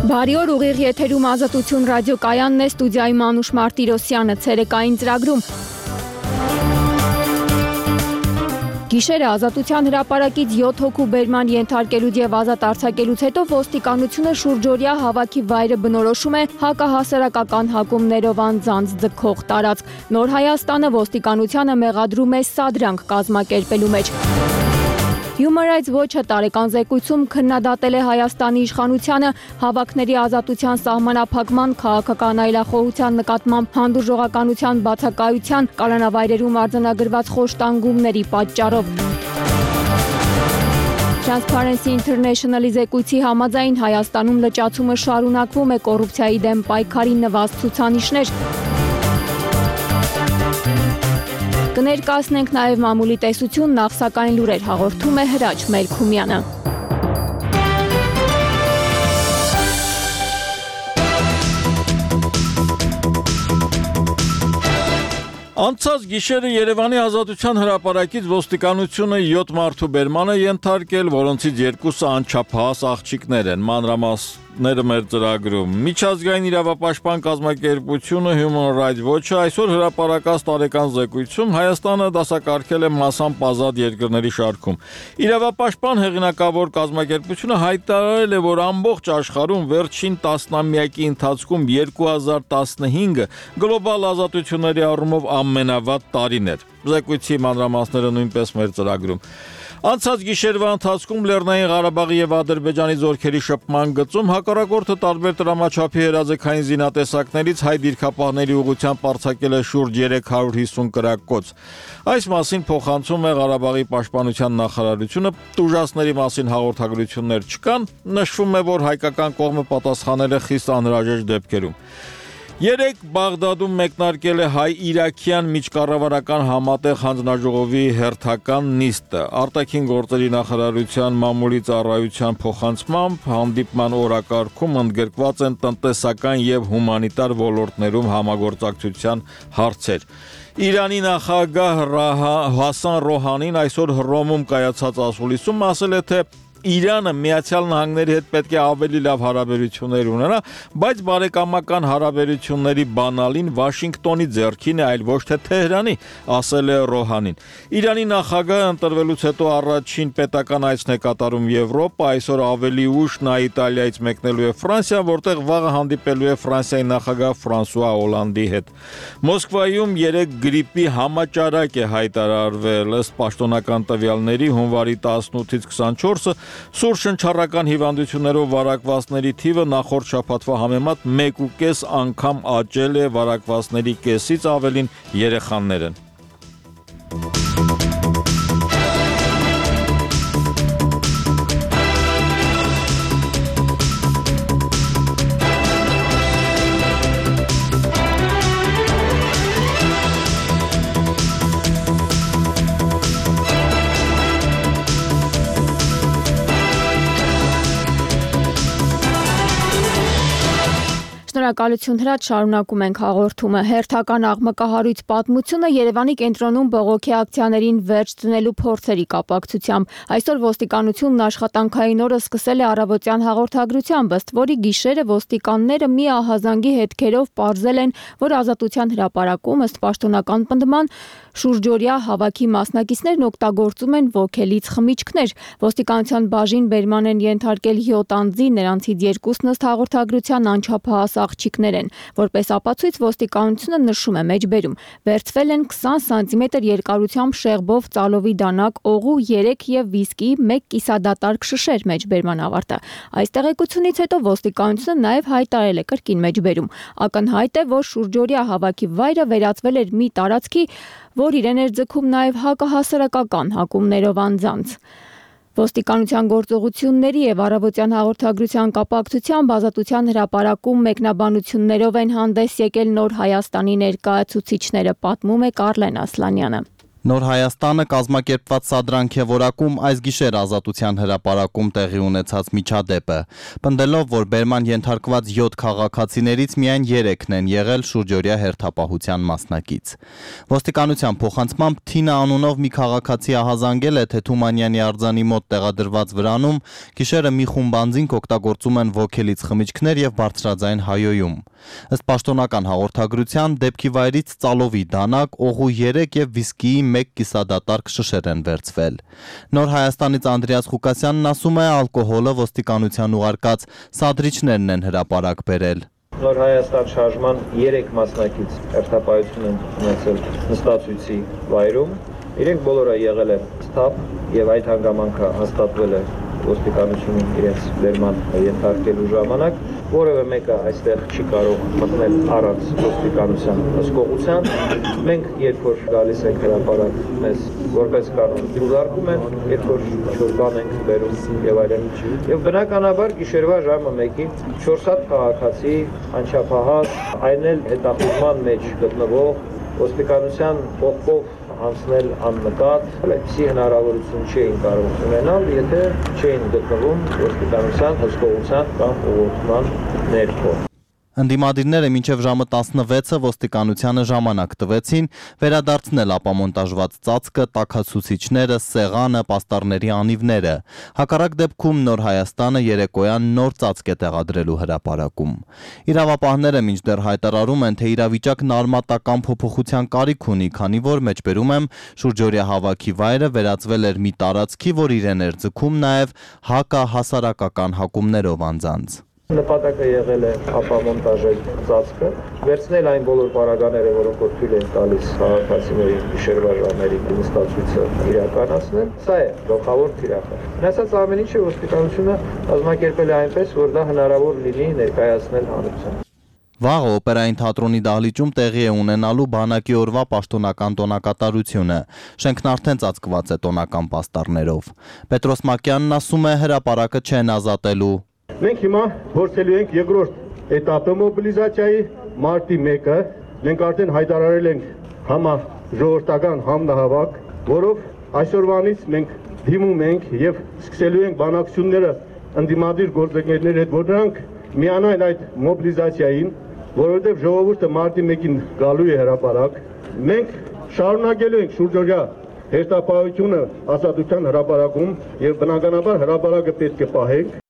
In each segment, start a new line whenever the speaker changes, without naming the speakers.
Բարի օր, ուղիղ եթերում Ազատություն ռադիոկայանն է, ստուդիայում Անուշ Մարտիրոսյանը, ցերեկային ծրագրում։ Գիշերը Ազատության հրապարակից 7 հոգու բերման ենթարկելուց եւ ազատ արձակելուց հետո ոստիկանությունը շուրջօրյա հավաքի վայրը բնորոշում է հակահասարակական հակումներով անձանց ձգող տարածք։ Նոր Հայաստանը ոստիկանությանը մեղադրում է սադրանք կազմակերպելու մեջ։ Human Rights Watch-ը տարեկան զեկույցում քննադատել է Հայաստանի իշխանությանը հավաքների ազատության սահմանափակման, քաղաքական այլախոհության նկատմամբ հանդուրժողականության բացակայության, կալանավայրերում արձանագրված խոշտանգումների պատճառով։ Transparency International-ի զեկույցի համաձայն Հայաստանում լճացումը շարունակվում է, կոռուպցիայի դեմ պայքարի նվազ ցուցանիշներ։ Կներկայացնենք նաև մամուլի տեսություն, նախ սակայն լուրեր հաղորդում է Հրաչ Մելքումյանը։
Անցած գիշերը Երևանի Ազատության հրապարակից ոստիկանությունը 7 մարդու բերման է ենթարկել, որոնցից 2-ը անչափահաս աղջիկներ են, մանրամասները մեր ծրագրում։ Միջազգային իրավապաշտպան կազմակերպությունը Human Rights Watch-ը այսօր հրապարակած տարեկան զեկույցում Հայաստանը դասակարգել է մասամբ ազատ երկրների շարքում։ Իրավապաշտպան հեղինակավոր կազմակերպությունը հայտարարել է, որ ամբողջ աշխարհում վերջին տասնամյակի ընթացքում 2015-ը գլոբալ ազատությունների առումով ամենավատ տարին էր։ Զեկույցի մանրամասները նույնպես մեր ծրագրում։ Անցած գիշերվա ընթացքում Լեռնային Ղարաբաղի եւ Ադրբեջանի զորքերի շփման գծում հակառակորդը տարբեր տրամաչափի հրաձգային զինատեսակներից հայ դիրքապահների ուղղությամբ արձակել է շուրջ 350 կրակոց։ Այս մասին փոխանցում է Ղարաբաղի պաշտպանության նախարարությունը, տուժածների մասին հաղորդագրություններ չկան, նշվում է, որ հայկական կողմը պատասխանել է խիստ անհրաժեշտ դեպքերում։ Երեկ Բաղդադում մեկնարկել է հայ-իրաքյան միջկառավարական համատեղ հանձնաժողովի հերթական նիստը։ Արտաքին գործերի նախարարության մամուլի ծառայության փոխանցմամբ հանդիպման օրակարգում ընդգրկված են տնտեսական եւ հումանիտար ոլորտներում համագործակցության հարցեր։ Իրանի նախագահ Հասան Ռոհանին այսօր Հռոմում կայացած ասուլիսում ասել է, թե Իրանը Միացյալ Նահանգների հետ պետք է ավելի լավ հարաբերություններ ունենա, բայց բարեկամական հարաբերությունների բանալին Վաշինգտոնի ձեռքին է, այլ ոչ թե Թեհրանի, ասել է Ռոհանին։ Իրանի նախագահը ընտրվելուց հետո առաջին պետական այցն է կատարում Եվրոպա, այսօր ավելի ուշ նա Իտալիայից մեկնելու է Ֆրանսիա, որտեղ վաղը հանդիպելու է Ֆրանսիայի նախագահ Ֆրանսուଆ Օլանդի հետ։ Մոսկվայում երեկ գրիպի համաճարակ է հայտարարվել, ըստ պաշտոնական տվյալների հունվարի 18-ից 24-ը սուր շնչառական հիվանդություններով վարակվածների թիվը նախորդ շաբաթվա համեմատ 1.5 անգամ աճել է, վարակվածների կեսից ավելին երեխաներ են։
Շնորհակալություն Հրաչ, շարունակում ենք հաղորդումը։ Հերթական աղմկահարույց պատմությունը Երևանի կենտրոնում բողոքի ակցիաներին վերջ դնելու փորձերի կապակցությամբ։ Այսօր ոստիկանությունն աշխատանքային օրը սկսել է առավոտյան հաղորդագրությամբ, ըստ որի գիշերը ոստիկանները մի ահազանգի հետքերով պարզել են, որ Ազատության հրապարակում ըստ պաշտոնական պնդման շուրջօրյա հավաքի մասնակիցներն օգտագործում են ոգելից խմիչքներ։ Ոստիկանության բաժին բերման են ենթարկել 7 անձի, նրանցից 2-ն ըստ հաղորդագրության անչափահաս աղջիկներ են։ Որպես ապացույց ոստիկանությունը նշում է մեջբերում. վերցվել են 20 սանտիմետր երկարությամբ շեղբով ծալովի դանակ, օղու 3 եւ վիսկի 1 կիսադատարկ շշեր մեջբերման ավարտը։ Այս տեղեկությունից հետո ոստիկանությունը նաեւ հայտարարել է կրկին մեջբերում։ Ակնհայտ է, որ շուրջօրյա հավաքի վայրը վերածվել էր մի տարածքի, որ իրեն էր ձգում նաև հակահասարակական հակումներով անձանց։ Ոստիկանության գործողությունների եւ առավոտյան հաղորդագրության կապակցությամբ Ազատության հրապարակում մեկնաբանություններով են հանդես եկել Նոր Հայաստանի ներկայացուցիչները, պատմում է Կարլեն Ասլանյանը։
Նոր Հայաստանը կազմակերպված սադրանք է որակում այս գիշեր Ազատության հրապարակում տեղի ունեցած միջադեպը, պնդելով, որ բերման ենթարկված 7 քաղաքացիներից միայն 3-ն են եղել շուրջօրյա հերթապահության մասնակից։ Ոստիկանության փոխանցմամբ Թինա անունով մի քաղաքացի ահազանգել է, թե Թումանյանի արձանի մոտ տեղադրված վրանում գիշերը մի խումբ անձինք օգտագործում են ոգելից խմիչքներ եւ բարձրաձայն հայոյում։ Ըստ պաշտոնական հաղորդագրության, դեպքի վայրից ծալովի դանակ, օղու 3 եւ վիսկիի 1 կիսադատարկ շշեր են վերցվել։ Նոր Հայաստանից Անդրեաս Ղուկասյանն ասում է, ալկոհոլը ոստիկանության ուղարկած սադրիչներն են հրապարակ բերել։
Նոր Հայաստան շարժման 3 մասնակից հերթապահություն են ունեցել նստացույցի վայրում։ Իրենք բոլորը եղել են սթափ եւ այդ հանգամանքը հաստատվել է ոստիկանությունում իրենց բերման ենթարկելու ժամանակ, որևէ մեկը այստեղ չի կարող մտնել առանց ոստիկանության հսկողության։ Մենք երբ որ գալիս ենք հրապարակ, մեզ որպես կանոն դուրարկում են, երբ որ չորբան ենք բերում եւ այլն։ Եվ բնականաբար գիշերվա ժամը 1-ին 4 հատ քաղաքացի անչափահաս, այն էլ հետախուզման մեջ գտնվող ոստիկանության կողքով անցնել աննկատ, այդպիսի հնարավորություն չէին կարող ունենալ, եթե չէին գտնվում ոստիկանության հսկողության կամ ուղղորդման ներքո։
Ընդդիմադիրները մինչև ժամը 16-ը ոստիկանությանը ժամանակ տվեցին վերադարձնել ապամոնտաժված ծածկը, տաքացուցիչները, սեղանը, պաստառների անիվները։ Հակառակ դեպքում Նոր Հայաստանը երեկոյան նոր ծածկ է տեղադրելու հրապարակում։ Իրավապահները մինչդեռ հայտարարում են, թե իրավիճակն արմատական փոփոխության կարիք ունի, քանի որ մեջբերում եմ շուրջօրյա հավաքի վայրը վերածվել էր մի տարածքի, որ իրեն էր ձգում նաև հակահասարակական հակումներով անձանց։
Նպատակը եղել է ապամոնտաժել ծածկը, վերցնել այն բոլոր պարագաները, որոնք որ թույլ են տալիս քաղաքացիների գիշերվա ժամերին նստացույցը իրականացնել, սա է գլխավոր թիրախը։ Ասած ամեն ինչը ոստիկանությունը կազմակերպել է այնպես, որ դա հնարավոր լինի ներկայացնել հանրությանը։
Վաղը օպերային թատրոնի դահլիճում տեղի է ունենալու բանակի օրվա պաշտոնական տոնակատարությունը։ Շենքն արդեն ծածկված է տոնական պաստառներով։ Պետրոս Մակյանն ասում է, հրապարակը չեն ազատելու։
Մենք հիմա փորձելու ենք երկրորդ էտապը մոբիլիզացիայի մարտի 1-ը, մենք արդեն հայտարարել ենք համաժողովրդական համնահավաք, որով այսօրվանից մենք դիմում ենք եւ սկսելու ենք բանակցությունները ընդդիմադիր գործընկերների հետ, որ նրանք միանան այդ մոբիլիզացիային, որովհետեւ ժողովուրդը մարտի 1-ին գալու է հրապարակ։ Մենք շարունակելու ենք շուրջօրյա հերթապահությունը Ազատության հրապարակում եւ բնականաբար հրապարակը պետք է պահենք։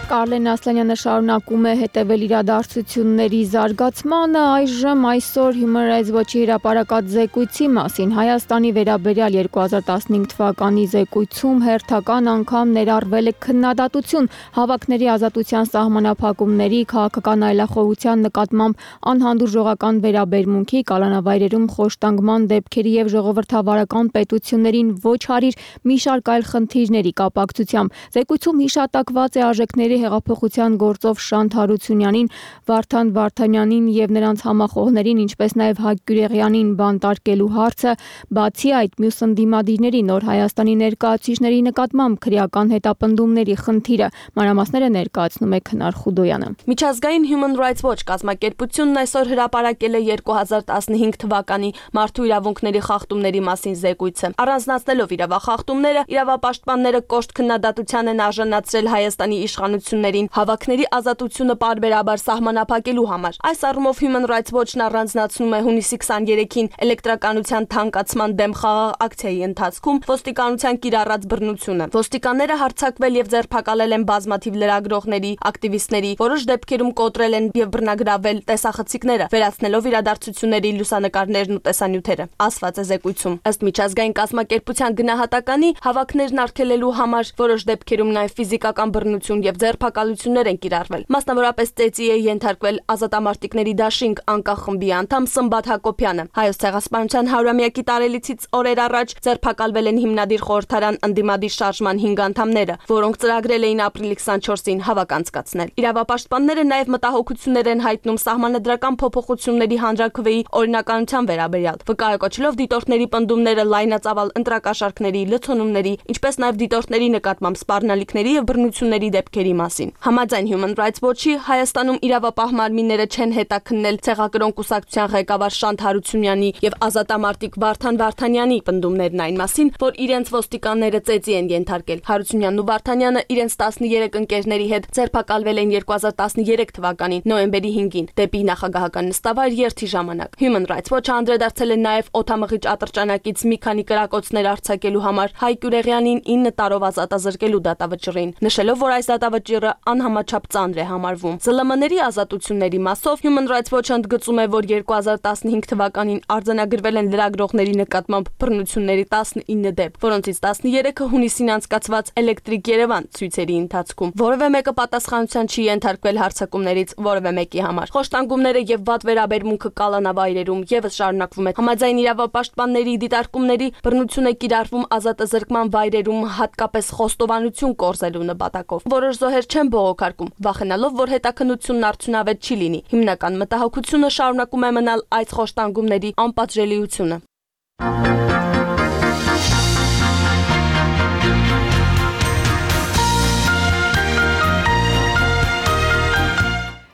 Կարլեն Ասլանյանը շարունակում է հետևել իրադարձությունների զարգացմանը, այժմ այսօր Human Rights Watch-ի հրապարակած զեկույցի մասին։ Հայաստանի վերաբերյալ 2015 թվականի զեկույցում հերթական անգամ ներառվել է քննադատություն հավաքների ազատության սահմանափակումների, քաղաքական այլախոհության նկատմամբ անհանդուրժողական վերաբերմունքի, կալանավայրերում խոշտանգման դեպքերի եւ ժողովրդավարական պետություններին ոչ հարիր մի շարք այլ խնդիրների կապակցությամբ։ Զեկույցում հիշատակված է արժեքների հեղափոխության գործով Շանթ Հարությունյանին, Վարդան Վարդանյանին եւ նրանց համախոհներին, ինչպես նաեւ Հակ Գյուրեղյանին բանտարկելու հարցը, բացի այդ մյուս ընդդիմադիրների Նոր Հայաստանի ներկայացուցիչների նկատմամբ քրեական հետապնդումների խնդիրը, մանրամասները ներկայացնում է Քնար Խուդոյանը։
Միջազգային Human Rights Watch կազմակերպությունն այսօր հրապարակել է 2015 թվականի մարդու իրավունքների խախտումների մասին զեկույցը։ Առանձնացնելով իրավախախտումները, իրավապաշտպանները կոշտ քննադատության են արժանացրել Հայաստանի իշխանություններին հավաքների ազատությունը պարբերաբար սահմանափակելու համար։ Այս առումով Human Rights Watch-ն առանձնացնում է հունիսի 23-ին էլեկտրականության թանկացման դեմ խաղաղ ակցիայի ընթացքում ոստիկանության կիրառած բռնությունը։ Ոստիկանները հարձակվել եւ ձերբակալել են բազմաթիվ լրագրողների, ակտիվիստների, որոշ դեպքերում կոտրել են եւ բռնագրավել տեսախցիկները, վերացնելով իրադարձությունների լուսանկարներն ու տեսանյութերը, ասված է զեկույցում։ Ըստ միջազգային կազմակերպության գնահատականի, հավաքներն արգելելու համար որոշ դեպքերում նաեւ ֆիզիկական բռնություն եւ ձերբակալություններ են կիրառվել։ Մասնավորապես ծեծի է ենթարկվել ազատամարտիկների դաշինք անկախ խմբի անդամ Սմբատ Հակոբյանը։ Հայոց ցեղասպանության 100-ամյակի տարելիցից օրեր առաջ ձերբակալվել են հիմնադիր խորհրդարան ընդդիմադիր շարժման 5 անդամները, որոնք ծրագրել էին ապրիլի 24-ին հավաք անցկացնել։ Իրավապաշտպանները նաեւ մտահոգություններ են հայտնում սահմանադրական փոփոխությունների հանրաքվեի օրինականության վերաբերյալ, վկայակոչելով դիտորդների պնդումները լայնածավալ ընտրակաշառքների, լցոնումների, ինչպես նաեւ դիտորդների նկատմամբ սպառնալիքների եւ բռնությունների դեպքերի մասին։ մասին։ Համաձայն Human Rights Watch-ի Հայաստանում իրավապահ մարմինները չեն հետաքննել ցեղակրոն կուսակցության ղեկավար Շանթ Հարությունյանի եւ ազատամարտիկ Վարդան Վարդանյանի պնդումներն այն մասին, որ իրենց ոստիկանները ծեծի են ենթարկել։ Հարությունյանն ու Վարդանյանը իրենց 13 ընկերների հետ ձերբակալվել են 2013 թվականի նոյեմբերի 5-ին դեպի նախագահական նստավայր երթի ժամանակ։ Human Rights Watch-ը անդրադարձել է նաեւ օդամղիչ ատրճանակից մի քանի կրակոցներ արձակելու համար Հայկ Ուրեղյանին 9 տարով ազատազրկելու դատավճռին, նշելով, որ այս դատավճիռը անհամաչափ ծանր է համարվում։ ԶԼՄ-ների ազատությունների մասով Human Rights Watch-ը ընդգծում է, որ 2015 թվականին արձանագրվել են լրագրողների նկատմամբ բռնությունների 19 դեպք, որոնցից 13-ը հունիսին անցկացված Էլեկտրիկ Երևան ցույցերի ընթացքում։ Որևէ մեկը պատասխանատվության չի ենթարկվել հարձակումներից որևէ մեկի համար։ Խոշտանգումները եւ վատ վերաբերմունքը կալանավայրերում եւս շարունակվում է։ Համաձայն իրավապաշտպանների դիտարկումների բռնություն է կիրառվում ազատազրկման վայրերում, հատկապես խոստովանություն կորզելու նպատակով։ Որոշ զոհեր չեն բողոքարկում, վախենալով, որ հետաքննությունն արդյունավետ չի լինի։ Հիմնական մտահոգությունը շարունակում է մնալ այս խոշտանգումների անպատժելիությունը։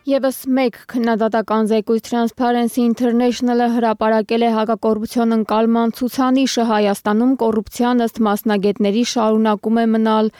Եվս մեկ քննադատական զեկույց Transparency International-ը հրապարակել է հակակոռուպցիոն ընկալման ցուցանիշը Հայաստանում կոռուպցիան ըստ մասնագետների շարունակում է մնալ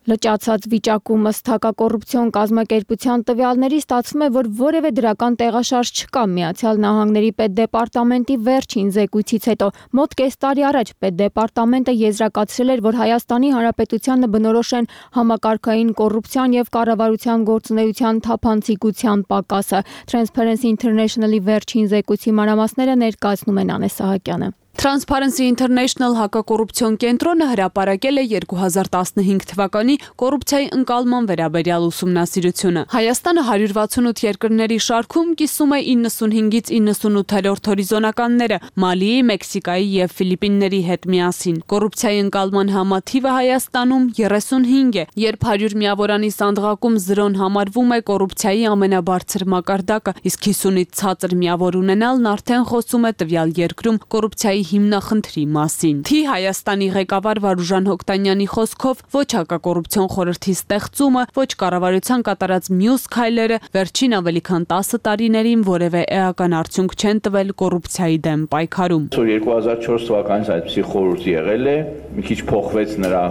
լճացած վիճակում ըստ հակակոռուպցիոն կազմակերպության տվյալների ստացվում է, որ որևէ դրական տեղաշարժ չկա։ Միացյալ Նահանգների պետդեպարտամենտի վերջին զեկույցից հետո մոտ կես տարի առաջ պետդեպարտամենտը եզրակացրել էր, որ Հայաստանի Հանրապետությանը բնորոշ են համակարգային կոռուպցիան եւ կառավարության գործունեության թափանցիկության պակասը։ Transparency International-ի վերջին զեկույցի մանրամասները ներկայացնում են Անե Սահակյանը։
Transparency International հակակոռուպցիոն կենտրոնը հրապարակել է 2015 թվականի կոռուպցիայի ընկալման վերաբերյալ ուսումնասիրությունը։ Հայաստանը 168 երկրների շարքում կիսում է 95-ից 98-րդ հորիզոնականները Մալիի, Մեքսիկայի եւ Ֆիլիպինների հետ միասին։ Կոռուպցիայի ընկալման համաթիվը Հայաստանում 35 է, երբ 100 միավորանի սանդղակում 0-ն համարվում է կոռուպցիայի ամենաբարձր մակարդակը, իսկ 50-ից ցածր միավոր ունենալն արդեն խոսում է տվյալ երկրում կոռուպցիայի հիմնախնդրի մասին։ Թի Հայաստանի ղեկավար Վարուժան Հոկտանյանի խոսքով ոչ հակակոռուպցիոն խորհրդի ստեղծումը, ոչ կառավարության կատարած մյուս քայլերը վերջին ավելի քան 10 տարիներին որևէ էական արդյունք չեն տվել կոռուպցիայի դեմ պայքարում։
2004 թվականից այդպիսի խորհուրդ եղել է, մի քիչ փոխվեց նրա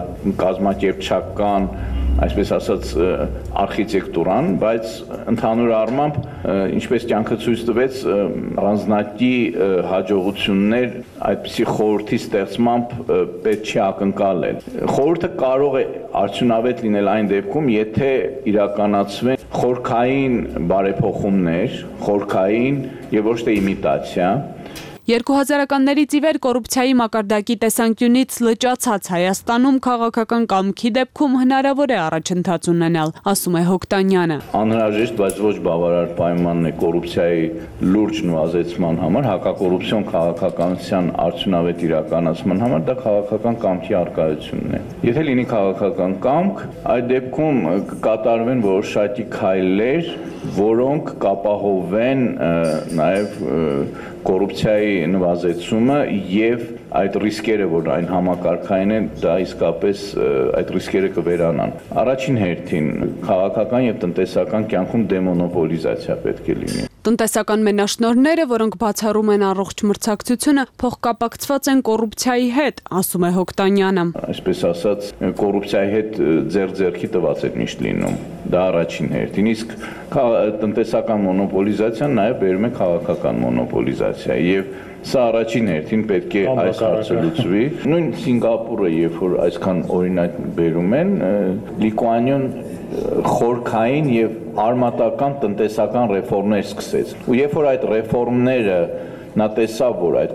կազմակերպչական, այսպես ասած, արխիտեկտուրան, բայց ընդհանուր առմամբ, ինչպես կյանքը ցույց տվեց, առանձնակի հաջողություններ այդպիսի խորհրդի ստեղծմամբ պետք չի ակնկալել։ Խորհուրդը կարող է արդյունավետ լինել այն դեպքում, եթե իրականացվեն խորքային բարեփոխումներ, խորքային եւ ոչ թե իմիտացիա։
2000-ականներից ի վեր կոռուպցիայի մակարդակի տեսանկյունից լճացած Հայաստանում քաղաքական կամքի դեպքում հնարավոր է առաջընթաց ունենալ, ասում է Հոկտանյանը։
Անհրաժեշտ, բայց ոչ բավարար պայմանն է կոռուպցիայի լուրջ նվազեցման համար, հակակոռուպցիոն քաղաքականության արդյունավետ իրականացման համար դա քաղաքական կամքի առկայությունն է։ Եթե լինի քաղաքական կամք, այդ դեպքում կկատարվեն որոշակի քայլեր, որոնք կապահովեն նաև կոռուպցիայի նվազեցումը եւ այդ ռիսկերը, որ այն համակարգային են, դա իսկապես այդ ռիսկերը կվերանան։ Առաջին հերթին քաղաքական եւ տնտեսական կյանքում դեմոնոպոլիզացիա պետք է լինի։
Տնտեսական մենաշնորհները, որոնք բացառում են առողջ մրցակցությունը, փոխկապակցված են կոռուպցիայի հետ, ասում է Հոկտանյանը։
Այսպես ասած, կոռուպցիայի հետ ձեռք-ձեռքի տված է միշտ լինում։ Դա առաջին հերթին, իսկ տնտեսական մոնոպոլիզացիան նաև բերում է քաղաքական մոնոպոլիզացիա եւ սա առաջին հերթին պետք է այս հարցը լուծվի։ Նույն Սինգապուրը, երբ որ այսքան օրինակ բերում են, Լիկուանիոն խորքային եւ արմատական տնտեսական ռեֆորմներ սկսեց։ Ու երբ որ այդ ռեֆորմները նա տեսավ, որ այդ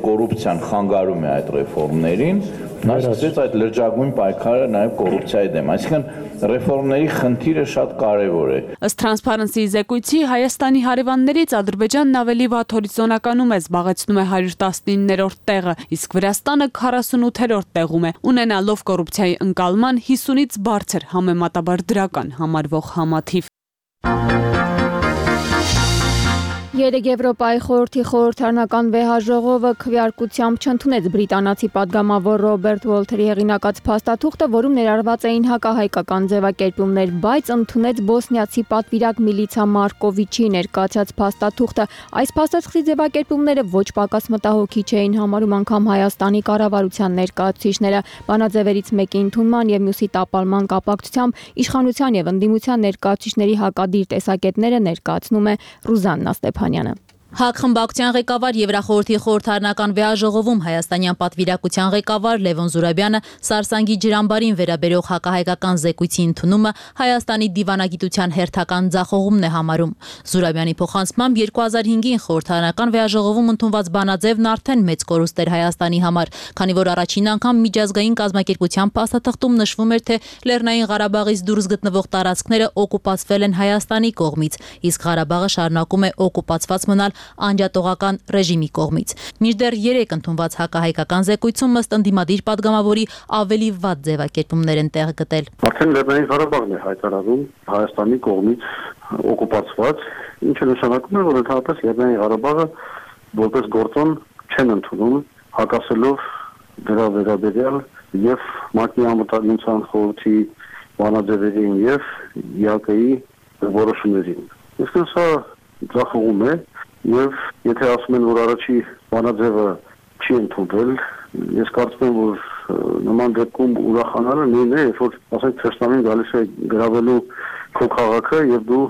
կոռուպցիան խանգարում է այդ ռեֆորմներին, նա սկսեց այդ լրջագույն պայքարը նաև կոռուպցիայի դեմ։ Այսինքն ռեֆորմների խնդիրը շատ կարևոր է։
Ըստ Transparency զեկույցի Հայաստանի հարևաններից Ադրբեջանն ավելի վատ հորիզոնականում է, զբաղեցնում է 119-րդ տեղը, իսկ Վրաստանը 48-րդ տեղում է, ունենալով կոռուպցիայի ընկալման 50-ից բարձր համեմատաբար դրական համարվող համաթիվ։
Երեկ Եվրոպայի խորհրդի խորհրդարանական վեհաժողովը քվեարկությամբ չընդունեց բրիտանացի падգամավոր Ռոբերտ Ուոլթերի հեղինակած փաստաթուղթը, որում ներառված էին հակահայկական ձևակերպումներ, բայց ընդունեց բոսնիացի պատվիրակ Միլիցա Մարկովիչի ներկայացած փաստաթուղթը։ Այս փաստաթղթի ձևակերպումները ոչ պակաս մտահոգիչ էին համարում անգամ Հայաստանի կառավարության ներկայացուցիչները։ Բանաձևերից մեկի ընդունման եւ մյուսի տապալման կապակցությամբ իշխանության եւ ընդդիմության ներկայացուցիչների հակադիր տեսակետները ներկայացնում է Ռուզաննա Ստեփանյանը։
ՀԱԿ խմբակցության ղեկավար Եվրախորհրդի խորհրդարանական վեհաժողովում հայաստանյան պատվիրակության ղեկավար Լևոն Զուրաբյանը Սարսանգի ջրամբարին վերաբերող հակահայկական զեկույցի ընդունումը Հայաստանի դիվանագիտության հերթական ձախողումն է համարում։ Զուրաբյանի փոխանցմամբ 2005-ին խորհրդարանական վեհաժողովում ընդունված բանաձևն արդեն մեծ կորուստ էր Հայաստանի համար, քանի որ առաջին անգամ միջազգային կազմակերպության փաստաթղթում նշվում էր, թե Լեռնային Ղարաբաղից դուրս գտնվող տարածքները օկուպացվել են Հայաստանի կողմից, իսկ Ղարաբաղը շարունակում է օկուպացված մնալ անջատողական ռեժիմի կողմից։ Մինչդեռ 3 ընդունված հակահայկական զեկույցում ըստ ընդդիմադիր падգամավորի ավելի վատ ձևակերպումներ են տեղ գտել։
Արդեն Լեռնային Ղարաբաղն է հայտարարում Հայաստանի կողմից օկուպացված, ինչը նշանակում է, որ ընդհանրապես Լեռնային Ղարաբաղը որպես գործոն չեն ընդունում, հակասելով դրա վերաբերյալ եւ ՄԱԿ-ի անվտանգության խորհրդի բանաձևերին եւ ԵԱԿ-ի որոշումներին։ Իսկ սա ձախողում է եւ եթե ասում են, որ առաջի բանաձևը չի ընդունվել, ես կարծում եմ, որ նման դեպքում ուրախանալը նույնն է, երբ որ ասենք Թեստամին գալիս է գրավելու քո քաղաքը եւ դու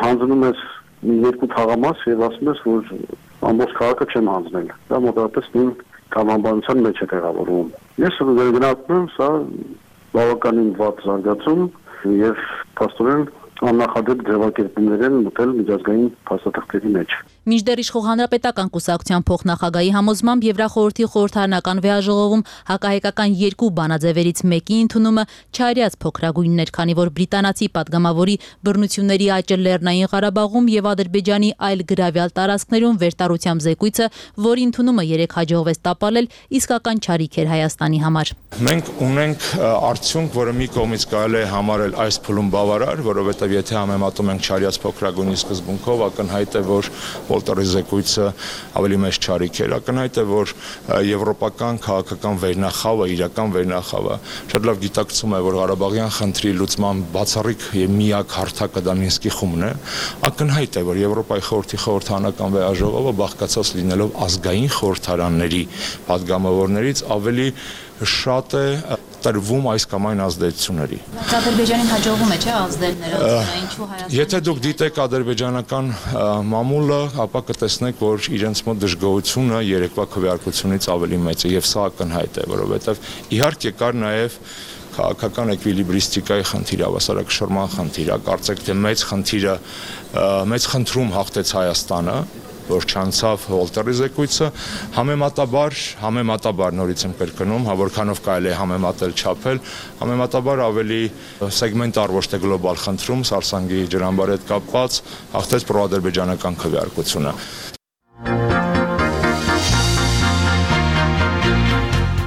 հանձնում ես մի երկու թաղամաս եւ ասում ես, որ ամբողջ քաղաքը չեմ հանձնել։ Դա մոտավորապես նույն կամամբանության մեջ է տեղավորվում։ Ես գնահատում եմ սա բավականին վատ զարգացում եւ փաստորեն աննախադեպ ձևակերպումներ են մտել միջազգային փաստաթղթերի մեջ։
Մինչդեռ իշխող հանրապետական կուսակցության փոխնախագահի համոզմամբ Եվրախորհրդի խորհրդարանական վեհաժողովում հակահայկական 2 բանաձևերից մեկի ընդունումը չարյաց փոքրագույնն էր, քանի որ բրիտանացի падգամավորի բռնությունների աճը Լեռնային Ղարաբաղում եւ Ադրբեջանի այլ գրավյալ տարածքներում վերտարությամբ զեկույցը, որի ընդունումը 3 հաջողվեց տապալել, իսկական չարիք էր Հայաստանի համար։
Մենք ունենք արդյունք, որը մի կողմից կարելի է համարել այս փուլում բավարար, որովհետեւ եթե համեմատում ենք չարյաց փոքրագույնի սկզբունքով, ակնհայտ է, որ Ուոլթերի զեկույցը ավելի մեծ չարիք էր, ակնհայտ է, որ եվրոպական քաղաքական վերնախավը, իրական վերնախավը շատ լավ գիտակցում է, որ Ղարաբաղյան խնդրի լուծման բացառիկ եւ միակ հարթակը դա Մինսկի խումբն է, ակնհայտ է, որ Եվրոպայի խորհրդի խորհրդարանական վեհաժողովը բաղկացած լինելով ազգային խորհրդարանների падգամավորներից ավելի շատ է տրվում այս կամ այն ազդեցությունների։
Ադրբեջանին հաջողվում է, չէ՞, ազդել նրա ինչու Հայաստանը։
Եթե դուք դիտեք ադրբեջանական մամուլը, ապա կտեսնեք, որ իրենց մոտ դժգոհությունը երեկվա քվեարկությունից ավելի մեծ է եւ սա ակնհայտ է, որովհետեւ իհարկե կար նաեւ քաղաքական էկվիլիբրիստիկայի խնդիր, հավասարակշռման խնդիր, կարծեք թե մեծ խնդրում հաղթեց Հայաստանը, որ չանցավ Ուոլթերի զեկույցը, համեմատաբար նորից եմ կրկնում, որքանով կարելի է համեմատել չափել, համեմատաբար ավելի սեգմենտար ոչ թե գլոբալ խնդրում Սարսանգի ջրամբարի հետ կապված հաղթեց պրոադրբեջանական քվեարկությունը։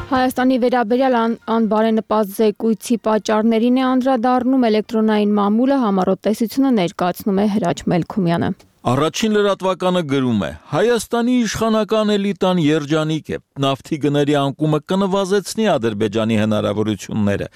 Հայաստանի վերաբերյալ անբարենպաստ զեկույցի պատճառներին է անդրադառնում էլեկտրոնային մամուլը, համառոտ տեսությունը ներկայացնում է Հրաչ Մելքումյանը։
Առաջին լրատվականը գրում է. Հայաստանի իշխանական էլիտան երջանիկ է, նավթի գների անկումը կնվազեցնի Ադրբեջանի հնարավորությունները։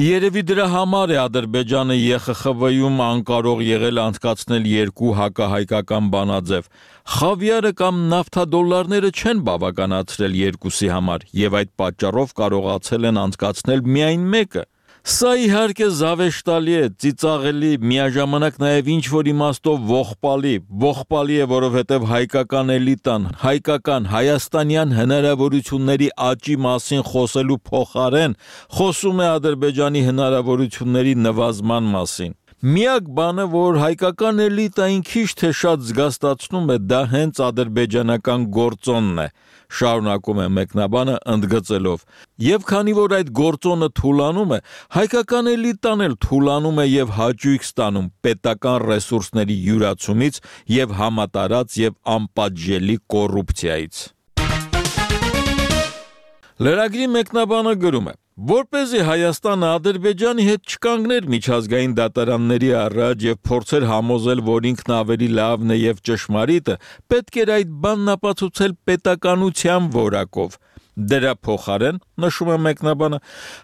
Երևի դրա համար է Ադրբեջանը ԵԽԽՎ-ում անկարող եղել անցկացնել 2 հակահայկական բանաձև։ Խավիարը կամ նավթադոլարները չեն բավականացրել երկուսի համար եւ այդ պատճառով կարողացել են անցկացնել միայն մեկը։ Սա իհարկե զավեշտալի է, ծիծաղելի, միաժամանակ նաև ինչ-որ իմաստով ողբալի է, որովհետև հայկական էլիտան, հայկական հայաստանյան հնարավորությունների աճի մասին խոսելու փոխարեն խոսում է Ադրբեջանի հնարավորությունների նվազման մասին։ Միակ բանը, որ հայկական էլիտային քիչ թե շատ զգաստացնում է, դա հենց ադրբեջանական գործոնն է, շարունակում է մեկնաբանը ընդգծելով։ Եվ քանի որ այդ գործոնը թուլանում է, հայկական էլիտան էլ թուլանում է եւ հաճույք ստանում պետական ռեսուրսների յուրացումից եւ համատարած եւ անպատժելի կոռուպցիայից։ Լրագրի մեկնաբանը գրում է. Որպեսզի Հայաստանը Ադրբեջանի հետ չկանգներ միջազգային դատարանների առաջ եւ փորձեր համոզել, որ ինքն ավելի լավն է եւ ճշմարիտը, պետք էր այդ բանն ապացուցել պետականության որակով։ Դրա փոխարեն, նշում է մեկնաբանը,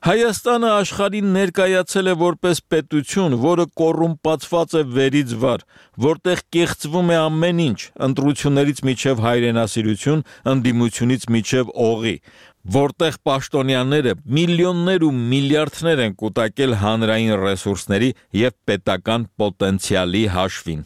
Հայաստանը աշխարհին ներկայացել է որպես պետություն, որը կոռումպացված է վերից վար, որտեղ կեղծվում է ամեն ինչ, ընտրություններից մինչև հայրենասիրություն, ընդդիմությունից մինչև օղի, որտեղ պաշտոնյաները միլիոններ ու միլիարդներ են կուտակել հանրային ռեսուրսների եւ պետական պոտենցիալի հաշվին։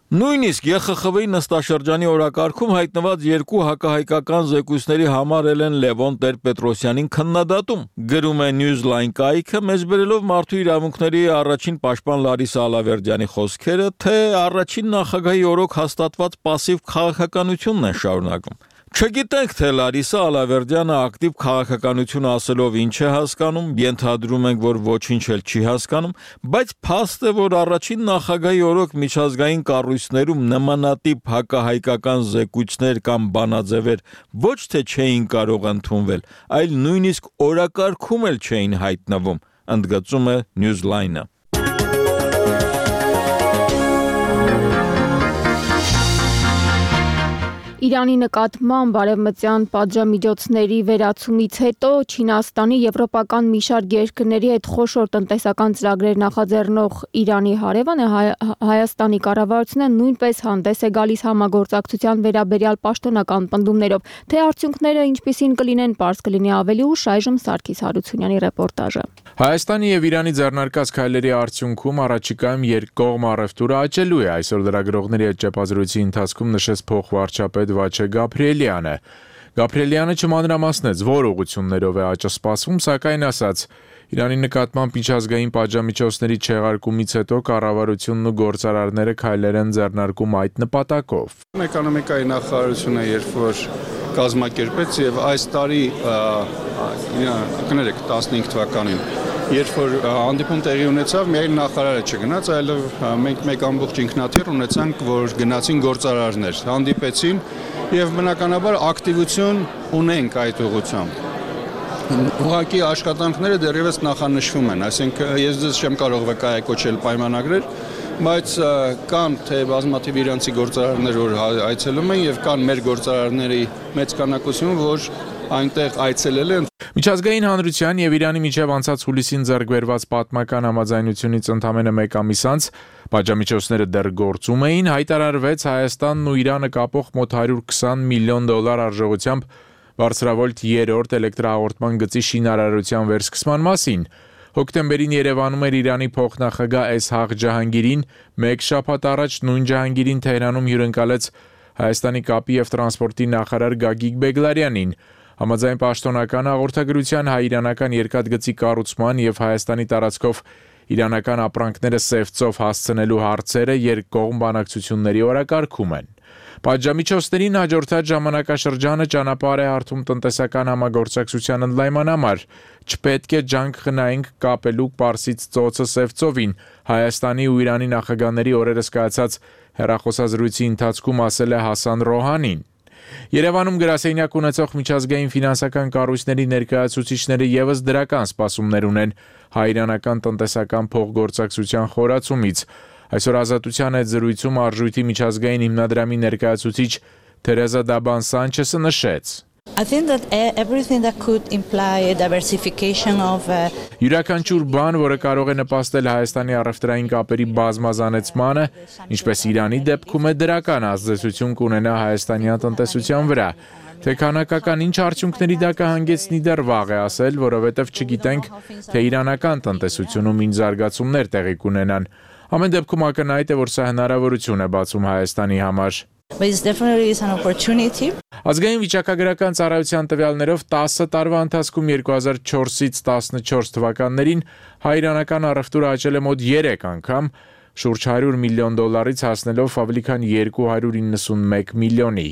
Նույնիսկ ԵԽԽՎ-ի նստաշրջանի օրակարգում հայտնված երկու հակահայկական զեկույցների համար Էլեն Լևոն Տեր-Պետրոսյանին քննադատում, գրում է Newsline կայքը, մեզ բերելով մարդու իրավունքների առաջին պաշտպան Լարիսա Ալավերդյանի խոսքերը, թե առաջին նախագահի օրոք հաստատված պասիվ քաղաքականությունն են շարունակում։ Չգիտենք, թե Լարիսա Ալավերդյանը ակտիվ քաղաքականություն ասելով ինչ է հասկանում, ենթադրում ենք, որ ոչինչ էլ չի հասկանում, բայց փաստ է, որ առաջին նախագահի օրոք միջազգային կառույցներում նմանատիպ հակահայկական զեկույցներ կամ բանաձևեր ոչ թե չէին կարող ընդունվել, այլ նույնիսկ օրակարգում էլ չէին հայտնվում, ընդգծում է Newsline-ը։
Իրանի նկատմամբ արևմտյան պատժամիջոցների վերացումից հետո Չինաստանի եվրոպական մի շարք երկրների հետ խոշոր տնտեսական ծրագրեր նախաձեռնող Իրանի հարևանը Հայաստանի կառավարությունը նույնպես հանդես է գալիս համագործակցության վերաբերյալ պաշտոնական պնդումներով, թե արդյունքները ինչպիսին կլինեն, պարզ կլինի ավելի ուշ, այժմ Սարգիս Հարությունյանի ռեպորտաժը։
Հայաստանի եւ Իրանի ձեռնարկած քայլերի արդյունքում առաջիկայում երկկողմ առևտուրը աճելու է, այսօր լրագրողների հետ ճեպազրույցի ընթացքում նշեց փոխվարչապետ Վաչե Գաբրիելյանը։ Գաբրիելյանը չմանրամասնեց, որ ուղղություններով է աճը սպասվում, սակայն ասաց, Իրանի նկատմամբ միջազգային պատժամիջոցների չեղարկումից հետո կառավարությունն ու գործարարները քայլեր են ձեռնարկում այդ նպատակով։
Էկոնոմիկայի նախարարությունը երբ որ կազմակերպեց եւ այս տարի կներեք 15 թվականին երբ որ հանդիպում տեղի ունեցավ, միայն նախարարը չգնաց, այլ մենք մեկ ամբողջ ինքնաթիռ ունեցանք, որ գնացին գործարարներ, հանդիպեցին եւ բնականաբար ակտիվություն ունենք այդ ուղղությամբ։ Ուղղակի աշխատանքները դեռևս նախանշվում են, այսինքն ես ձեզ չեմ կարող վկայակոչել պայմանագրեր, բայց կան թե բազմաթիվ իրանցի գործարարներ, որ այցելում են եւ կան մեր գործարարների մեծ քանակություն, որ այնտեղ այցելել են։
Միջազգային հանրության եւ Իրանի միջև անցած հուլիսին ձեռք բերված պատմական համաձայնությունից ընդամենը մեկ ամիս անց պատժամիջոցները դեռ գործում էին, հայտարարվեց Հայաստանն ու Իրանը կապող մոտ $120 միլիոն արժողությամբ բարձրավոլտ 3-րդ էլեկտրահաղորդման գծի շինարարության վերսկսման մասին։ Հոկտեմբերին Երևանում էր Իրանի փոխնախագահ Էսհաղ Ջահանգիրին, մեկ շաբաթ առաջ նույն Ջահանգիրին Թեհրանում հյուրընկալեց Հայաստանի կապի եւ տրանսպորտի նախարար Գագիկ Բեգլարյանին։ Համաձայն պաշտոնական հաղորդագրության հայ-իրանական երկաթգծի կառուցման եւ Հայաստանի տարածքով իրանական ապրանքները սևծով հասցնելու հարցերը երկկողմ բանակցությունների օրակարգում են։ Պատժամիջոցներին հաջորդած ժամանակաշրջանը ճանապարհ է հարթում տնտեսական համագործակցության ընդլայնման համար։ Չպետք է ջանք խնայենք կապելու Պարսից ծոցը Սևծովին, Հայաստանի ու Իրանի նախագահների օրերս կայացած հեռախոսազրույցի ընթացքում ասել է Հասան Ռոհանին։ Երևանում գրասենյակ ունեցող միջազգային ֆինանսական կառույցների ներկայացուցիչները եւս դրական սպասումներ ունեն հայ-իրանական տնտեսական փոխգործակցության խորացումից։ Այսօր Ազատության հետ զրույցում արժույթի միջազգային հիմնադրամի ներկայացուցիչ Թերեզա Դաբան Սանչեսը նշեց.
I think that everything that could imply a diversification of
Յուրաքանչյուր բան, որը կարող է նպաստել Հայաստանի առևտրային կապերի բազմազանեցմանը, ինչպես Իրանի դեպքում է դրական ազդեցություն կունենա հայաստանյան տնտեսության վրա։ Թե քանակական ինչ արդյունքների դա կհանգեցնի դեռ վաղ է ասել, որովհետև չգիտենք, թե իրանական տնտեսությունում ինչ զարգացումներ տեղի կունենան։ Ամեն դեպքում ակնհայտ է, որ սա հնարավորություն է բացում Հայաստանի համար։
But it definitely is an opportunity.
Ազգային վիճակագրական ծառայության տվյալներով 10 տարվա ընթացքում 2004-ից 14 թվականներին հայ-իրանական առևտուրը աճել է մոտ 3 անգամ, շուրջ $100 միլիոն հասնելով ավելի քան 291 միլիոնի։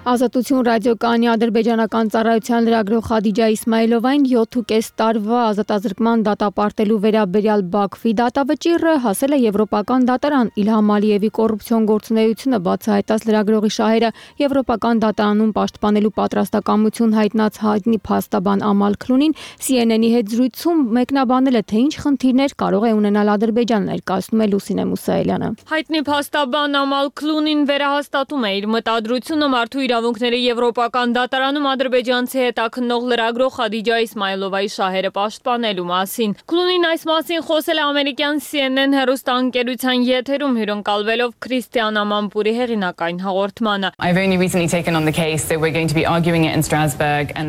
Ազատություն ռադիոկայանի ադրբեջանական ծառայության լրագրող Խադիջա Իսմայելովային 7.5 տարվա ազատազրկման դատապարտելու վերաբերյալ Բաքվի դատավճիռը հասել է Եվրոպական դատարան։ Իլհամ Ալիևի կոռուպցիոն գործունեությունը բացահայտած լրագրողի շահերը Եվրոպական դատարանում պաշտպանելու պատրաստակամություն հայտնած հայտնի փաստաբան Ամալ Քլունին CNN-ի հետ զրույցում մեկնաբանել է, թե ինչ խնդիրներ կարող է ունենալ Ադրբեջանը, ներկայացնում է Լուսինե Մուսայելյանը։
Հայտնի փաստաբան Ամալ Քլունին վերահաստատում է իր մտադրությունը մարդու իրավունքների Եվրոպական դատարանում ադրբեջանցի հետաքննող լրագրող Խադիջա Իսմայելովայի շահերը պաշտպանելու մասին։ Քլունին այս մասին խոսել է ամերիկյան CNN հեռուստաընկերության եթերում հյուրընկալվելով Քրիստիան Ամանպուրի հեղինակային հաղորդմանը։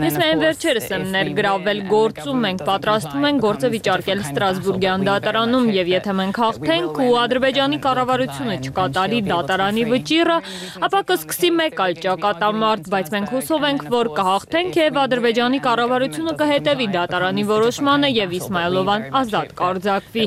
Ես միայն վերջերս եմ ներգրավել գործում, մենք պատրաստվում ենք գործը վիճարկել Ստրասբուրգյան դատարանում, եւ եթե մենք հաղթենք ու Ադրբեջանի կառավարությունը չկատարի դատարանի վճիռը, ապա կսկսի մեկ այլ ճակատամարտ, բայց մենք հուսով ենք, որ կհաղթենք եւ Ադրբեջանի կառավարությունը կհետևի դատարանի որոշմանը եւ Իսմայելովան ազատ կարձակվի։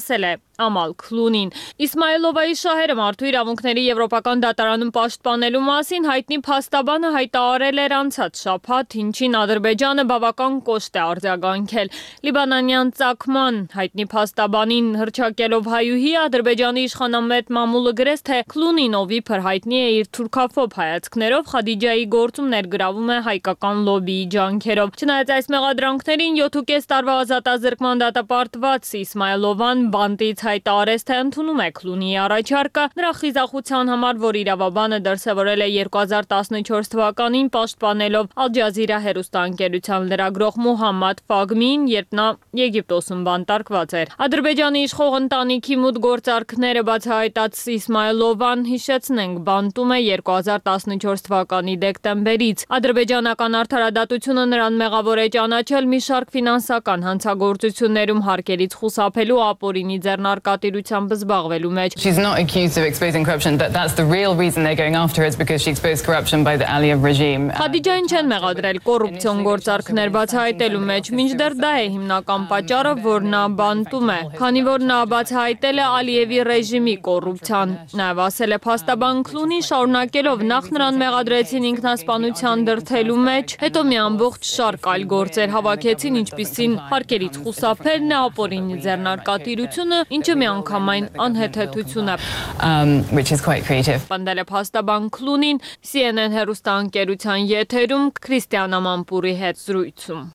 Ասել է Ամալ Քլունին։ Իսմայելովայի շահերը մարդու իրավունքների Եվրոպական դատարանում պաշտպանելու մասին հայտնի փաստաբանը հայտարարել էր անցած շաբաթ, ինչին Ադրբեջանը բավական կոշտ է արձագանքել։ Լիբանանյան ծագման հայտնի փաստաբանին հռչակելով հայուհի Ադրբեջանի իշխանամետ մամուլը գրեց, թե Քլունին, ով իբր հայտնի է իր թուրքաֆոբ հայացքներով, Խադիջայի գործում ներգրավում է հայկական լոբիի ջանքերով։ Չնայած այս մեղադրանքներին 7.5 տարվա ազատազրկման դատապարտված Իսմայելովան բանտից հայտարարեց, թե ընդունում է Քլունիի առաջարկը, նրա խիզախության համար, որ իրավաբանը դրսևորել է 2014 թվականին պաշտպանելով Ալ Ջազիրա հեռուստաընկերության լրագրող Մուհամմադ Ֆագմին, երբ նա Եգիպտոսում բանտարկված էր։ Ադրբեջանի իշխող ընտանիքի մուտք գործարքները բացահայտած Իսմայելովան, հիշեցնենք, բանտում է 2014 թվականի դեկտեմբերից։ Ադրբեջանական արդարադատությունը նրան մեղավոր է ճանաչել մի շարք ֆինանսական հանցագործություններում հարկերից խուսափելու ապօրինի ձեռնարկատիրությամբ զբաղվելու մեջ։
She's not accused of exposing corruption. That's the real reason they're going after her is because she exposed corruption by the Aliyev regime.
Խադիջային չեն մեղադրել կոռուպցիոն գործարքներ բացահայտելու մեջ, մինչդեռ դա է հիմնական պատճառը, որ նա բանտում է, քանի որ նա բացահայտել է Ալիևի ռեժիմի կոռուպցիան։ Նաև ասել է փաստաբան Քլունին, շարունակելով նախ նրան մեղադրեցին ինքնասպանության դրդելու մեջ, հետո մի ամբողջ շարք այլ գործեր հավաքեցին, ինչպիսին հարկերից խուսափելն է, ապօրինի ձեռնարկատիրությունը, ինչը միանգամայն անհեթեթություն է։
Which is quite creative.
Պնդել է փաստաբան Քլունին CNN հեռուստաընկերության եթերում Քրիստիան Ամանպուրի հետ զրույցում։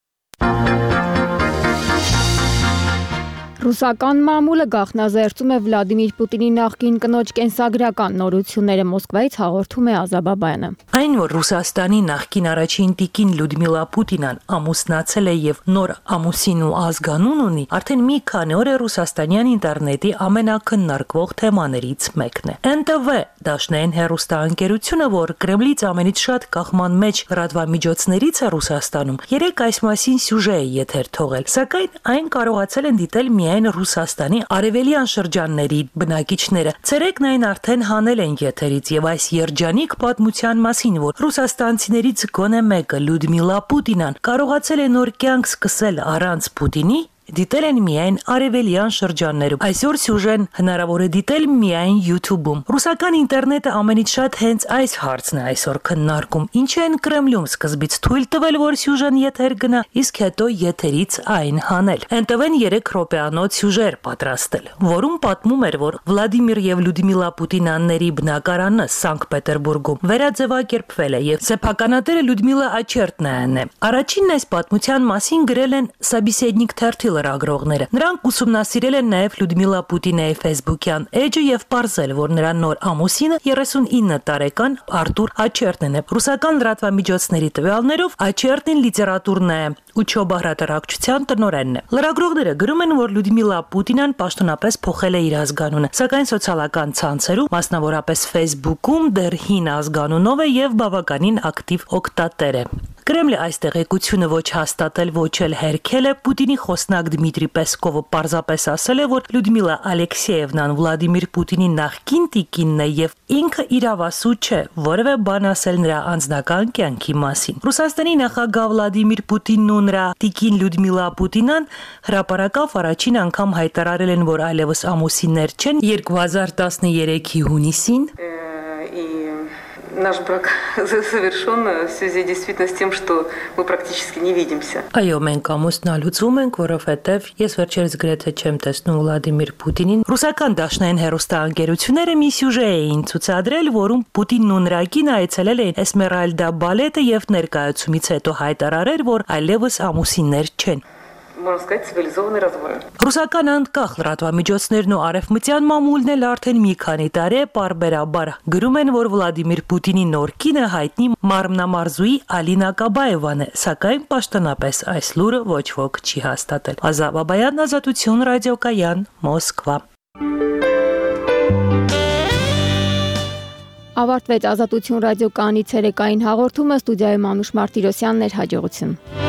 Ռուսական մամուլը գաղտնազերծում է Վլադիմիր Պուտինի նախկին կնոջ կենսագրական նորությունները, Մոսկվայից հաղորդում է Ազաբաբայանը։
Այն, որ Ռուսաստանի նախկին առաջին տիկին Լյուդմիլա Պուտինան ամուսնացել է եւ նոր ամուսին ու ազգանուն ունի, արդեն մի քանի օր է ռուսաստանյան ինտերնետի ամենակննարկվող թեմաներից մեկն է։ NTV դաշնային հեռուստաընկերությունը, որ Կրեմլից ամենից շատ կախման մեջ լրատվամիջոցներից է Ռուսաստանում, երեք այս մասին սյուժե է եթեր թողել, սակայն այն կարողացել են դիտել միայն Ռուսաստանի արևելյան շրջանների բնակիչները։ Ցերեկն այն արդեն հանել են եթերից եւ այս երջանիկ պատմության մասին, որ ռուսաստանցիներից գոնե մեկը Լյուդմիլա Պուտինան կարողացել է նոր կյանք սկսել առանց Պուտինի, դիտել են միայն արևելյան շրջաններում։ Այսօր սյուժեն հնարավոր է դիտել միայն YouTube-ում։ Ռուսական ինտերնետը ամենից շատ հենց այս հարցն է այսօր քննարկում։ Ինչ են Կրեմլում սկզբից թույլ տվել, որ սյուժեն եթեր գնա, իսկ հետո եթերից այն հանել։ NTV-ն 3 րոպեանոց սյուժեր պատրաստել, որում պատմում էր, որ Վլադիմիր եւ Լյուդմիլա Պուտինյանների բնակարանը Սանկտ Պետերբուրգում վերաձևակերպվել է եւ սեփականատերը Լյուդմիլա Աչերտնայանն է։ Առաջինն այս պատմության մասին գրել են Սաբիսեդնիկ թերթի լրագրողները։ Նրանք ուսումնասիրել են նաև Լյուդմիլա Պուտինայի Facebook-յան էջը եւ պարզել, որ նրա նոր ամուսինը 39 տարեկան Արտուր Աչերտնն է։ Ռուսական լրատվամիջոցների տվյալներով Աչերտնին լիտերատուրն է Ուչոբա հրատարակչության տնօրենն է։ Լրագրողները գրում են, որ Լյուդմիլա Պուտինան պաշտոնապես փոխել է իր ազգանունը, սակայն սոցիալական ցանցերում, մասնավորապես Facebook-ում, դեռ հին ազգանունով է եւ բավականին ակտիվ օգտատեր է։ Կրեմլը այս տեղեկությունը ոչ հաստատել, ոչ էլ հերքել է։ Պուտինի խոսնակ Դմիտրի Պեսկովը պարզապես ասել է, որ Լյուդմիլա Ալեքսեևնան Վլադիմիր Պուտինի նախկին տիկինն է եւ ինքը իրավասու չէ որևէ բան ասել նրա անձնական կյանքի մասին։ Ռուսաստանի նախագահ Վլադիմիր Պուտինն ու նրա տիկին Լյուդմիլա Պուտինան հրապարակավ առաջին անգամ հայտարարել են, որ այլևս ամուսիններ չեն 2013-ի հունիսին։
наш брак завершен в связи действительно с тем, что мы практически не видимся.
Այո, մենք ամուսնալուծում ենք, որովհետև ես վերջերս գրեթե չեմ տեսնում Վլադիմիր Պուտինին։ Ռուսական դաշնային հեռուստաընկերությունները մի սյուժե էին ցուցադրել, որում Պուտինն ու նրա կինը այցելել էին Էսմերալդա բալետը եւ ներկայացումից հետո հայտարարել, որ այլևս ամուսիններ չեն։
Можно сказать, цивилизованный развод.
Ռուսական անկախ լրատվամիջոցներն ու արևմտյան մամուլն էլ արդեն մի քանի տարի պարբերաբար գրում են, որ Վլադիմիր Պուտինի նոր կինը հայտնի մարմնամարզուհի Ալինա Կաբաևան է, սակայն պաշտոնապես այս լուրը ոչ ոք չի հաստատել։ Ազա Բաբայան, Ազատություն, ռադիոկայան, Մոսկվա։
Ավարտվեց Ազատություն ռադիոկայանի ցերեկային հաղորդումը, ստուդիայում Անուշ Մարտիրոսյանն էր, հաջողություն։